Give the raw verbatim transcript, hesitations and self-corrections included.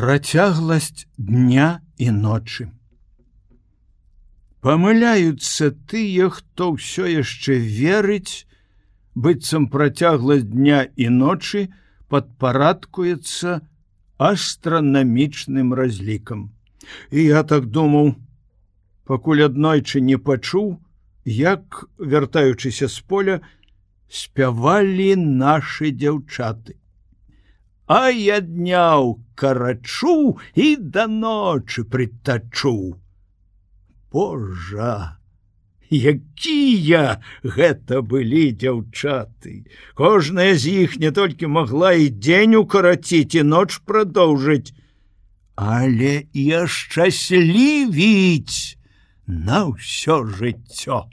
Працягласць дня і ночы. Памыляюцца тыя, хто ўсё яшчэ верыць, быццам працягласць дня і ночы падпарадкуецца астранамічным разлікам. І я так думаў, пакуль аднойчы не пачуў, як, вяртаючыся з поля, спявалі нашы дзяўчаты. А я дняў карачу і да ночы прытачу. Божа, якія гэта былі дзяўчаты! Кожная з іх не толькі магла і дзень укараціць, і ноч прадоўжыць, але і ашчаслівіць на ўсё жыццё.